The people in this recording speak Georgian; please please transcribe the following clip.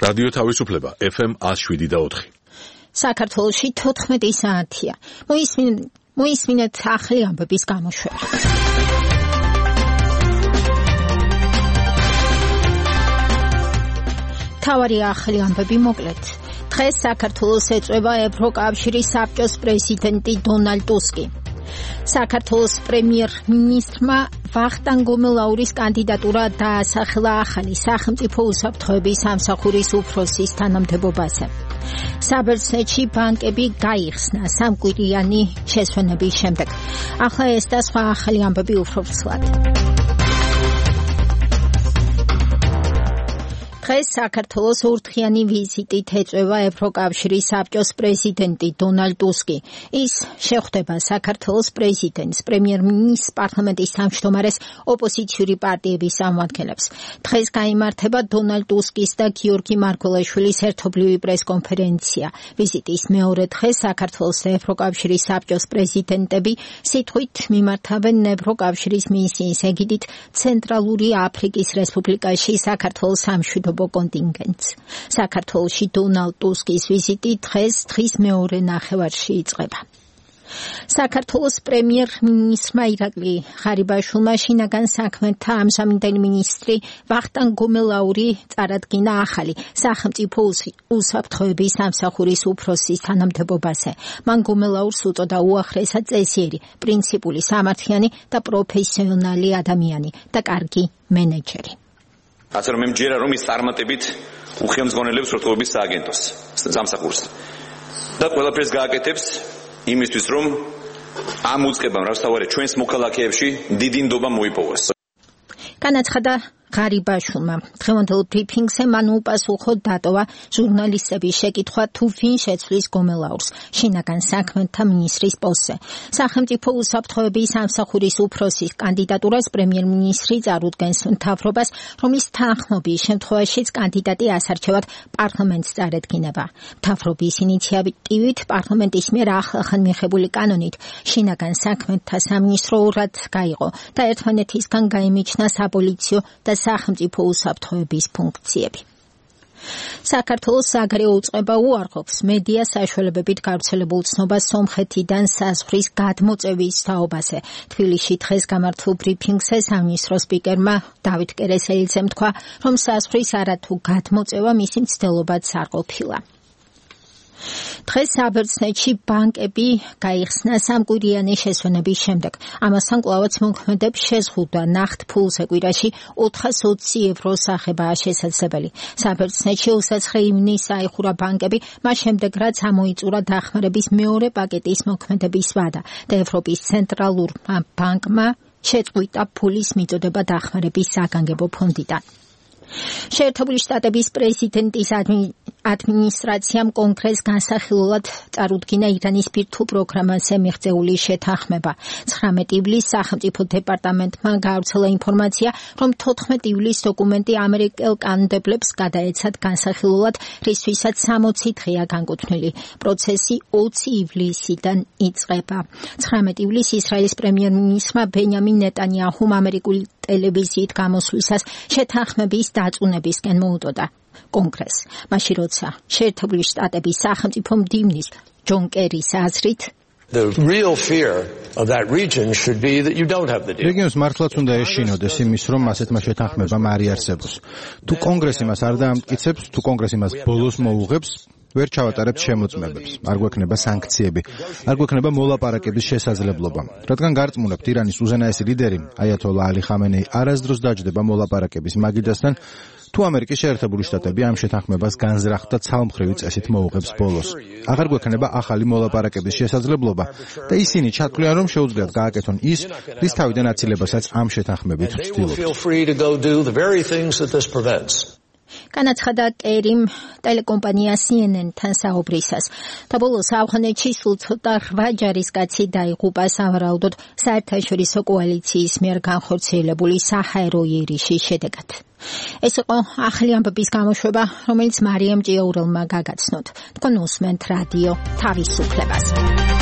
რადიო თავისუფლება FM 107.4. საქართველოში 14 საათია. მოისმინეთ ახალი ამბების გამოშვება. თავარი ახალი ამბები მოკლედ. დღეს საქართველოს ეწვევა ევროკავშირის საბჭოს პრეზიდენტი დონალდ ტუსკი. საქართველოს პრემიერ-მინისტრმა ვახტანგ გომელაურის კანდიდატურა დაასახელა ახალი სახელმწიფო უსაფრთხოების სამსახურის უფროსის თანამდებობაზე. საბერძნეთში ბანკები გაიხსნა სამკვირიანი შესვენების შემდეგ. ახლა ეს და სხვა ახალი ამბები უფრო ფსლად. დღეს საქართველოს ურთხიანი ვიზიტით ეწვევა ევროკავშირის საბჭოს პრეზიდენტი დონალდ ტუსკი. ის შეხვდება საქართველოს პრეზიდენტს, პრემიერ-მინისტრს, პარლამენტის თავმჯდომარეს, ოპოზიციური პარტიების წარმომადგენლებს. დღეს გაიმართება დონალდ ტუსკის და გიორგი მარგველაშვილის ერთობლივი პრესკონფერენცია. ვიზიტის მეორე დღეს საქართველოს და ევროკავშირის საბჭოს პრეზიდენტები სიტყვით მიმართავენ ევროკავშირის მისიის ეგიდით ცენტრალური აფრიკის რესპუბლიკაში საქართველოს სამშვიდობო კონტინგენტს. საქართველოში დონალდ ტუსკის ვიზიტი დღის მეორე ნახევარში იწყება. საქართველოს პრემიერ-მინისტრმა ირაკლი ღარიბაშვილმა შინაგან საქმეთა ამჟამინდელი მინისტრი ვახტანგ გომელაური წარადგინა ახალი სახელმწიფო უსაფრთხოების სამსახურის უფროსის თანამდებობაზე. მან გომელაურს უწოდა უახლესად წესიერი, პრინციპული, სამართლიანი და პროფესიონალი ადამიანი და კარგი მენეჯერი. ასე რომ მემჯერა რომ ის წარმატებით უხელმძღვანელებს ურთიერთობების სააგენტოს სამსახურს და ყველაფერს გააკეთებს იმისთვის რომ ამ უწყებამ რასაც ჩვენს მოქალაქეებში დიდი ნდობა მოიპოვოს. განაცხადა ღარიბაშვილმა. დღევანდელ ბრიფინგზე მან უპასუხო დატოვა ჟურნალისტების შეკითხვა თუ ვინ შეცვლის გომელაურს შინაგან საქმეთა მინისტრის პოსტზე. სახელმწიფო უსაფრთხოების სამსახურის უფროსის კანდიდატურას პრემიერ-მინისტრი წარუდგენს მთავრობას, რომლის თანხმობის შემთხვევაშიც კანდიდატი ასარჩევად პარლამენტს წარედგინება. მთავრობის ინიციატივით პარლამენტის მიერ ახლახან მიღებული კანონით შინაგან საქმეთა სამინისტრო ორად გაიყო და ერთმანეთისგან გაიმიჯნა საპოლიციო და სახელმწიფო უსაფრთხოების ფუნქციები. საქართველოს საგარეო უწყება უარყოფს მედია საშუალებებით გავრცელებულ ცნობას სომხეთიდან საზღვრის გადმოწევის თაობაზე. თბილისში დღეს გამართულ ბრიფინგზე სამინისტრო სპიკერმა დავით კერესელიძემ თქვა, რომ საზღვრის არათუ გადმოწევა მისი მცდელობაც არ ყოფილა. დღეს საბერძნეთში ბანკები გაიხსნა სამკვირიანი შესვენების შემდეგ. ამასთან კვლავაც მოქმედებს შეზღუდვა ნახტ ფულზე კვირაში 420 ევროს აღებაა შესაძლებელი. საბერძნეთში 29 ივნისს აიხურა ბანკები, მას შემდეგ რაც ამოიწურა დახმარების მეორე პაკეტის მოქმედების ვადა და ევროპის ცენტრალურმა ბანკმა შეწყვიტა ფულის მიწოდება დახმარების საგანგებო ფონდიდან. შეერთებული შტატების პრეზიდენტის ადმინისტრაციამ კონგრესს განსახილულად წარუდგინა ირანის ბირთვულ პროგრამაზე მიღწეული შეთანხმება. 19 ივლისს სახელმწიფო დეპარტამენტმა გაავრცელა ინფორმაცია, რომ 14 ივლისს დოკუმენტი ამერიკელ კანონმდებლებს გადაეცათ განსახილულად, რისთვისაც 60 დღეა განკუთვნილი. პროცესი 20 ივლისიდან იწყება. 19 ივლისს ისრაელის პრემიერ-მინისტრმა ბენიამინ ნეტანიაჰუმ ამერიკული ტელევიზიით გამოსვლისას შეთანხმების დაწუნებისკენ მოუდოდა კონგრესს. მაშინ როცა შეერთებული შტატების სახელმწიფო მდივნის ჯონ კერის აზრით რეგიონს მართლაც უნდა ეშინოდეს იმის, რომ ასეთმა შეთანხმებამ არ იარსებოს. თუ კონგრესი მას არ დაამტკიცებს, თუ კონგრესი მას ბოლოს მოუღებს, ვერ ჩავატარებთ შემოწმებებს, არ გვექნება სანქციები, არ გვექნება მოლაპარაკების შესაძლებლობა. რადგან გარწმუნებთ ირანის უზენაესი ლიდერი, აიათოლა ალი ხამენეი არასდროს დაჯდება მოლაპარაკების მაგიდასთან, თუ ამერიკის შეერთებული შტატები ამ შეთანხმებას განზრახ და ცალმხრივი წესით მოუღებს ბოლოს. აღარ გვექნება ახალი მოლაპარაკების შესაძლებლობა და ისინი ჩათვლიან, რომ შეუძლიათ გააკეთონ ის, რის თავიდან აცილებასაც ამ შეთანხმებით ვცდილობთ. განაცხადა კერიმ ტელეკომპანია CNN-თან საუბრისას. და ბოლოს ავღანეთში სულ ცოტა 8 ჯარისკაცი დაიღუპა სავარაუდოდ საერთაშორისო კოალიციის მიერ განხორციელებული საჰაერო იერიშის შედეგად. ეს იყო ახალი ამბების გამოშვება, რომელიც მარიამ ჭიაურელმა გაგაცნოთ. თქვენ უსმენთ რადიო თავისუფლებას.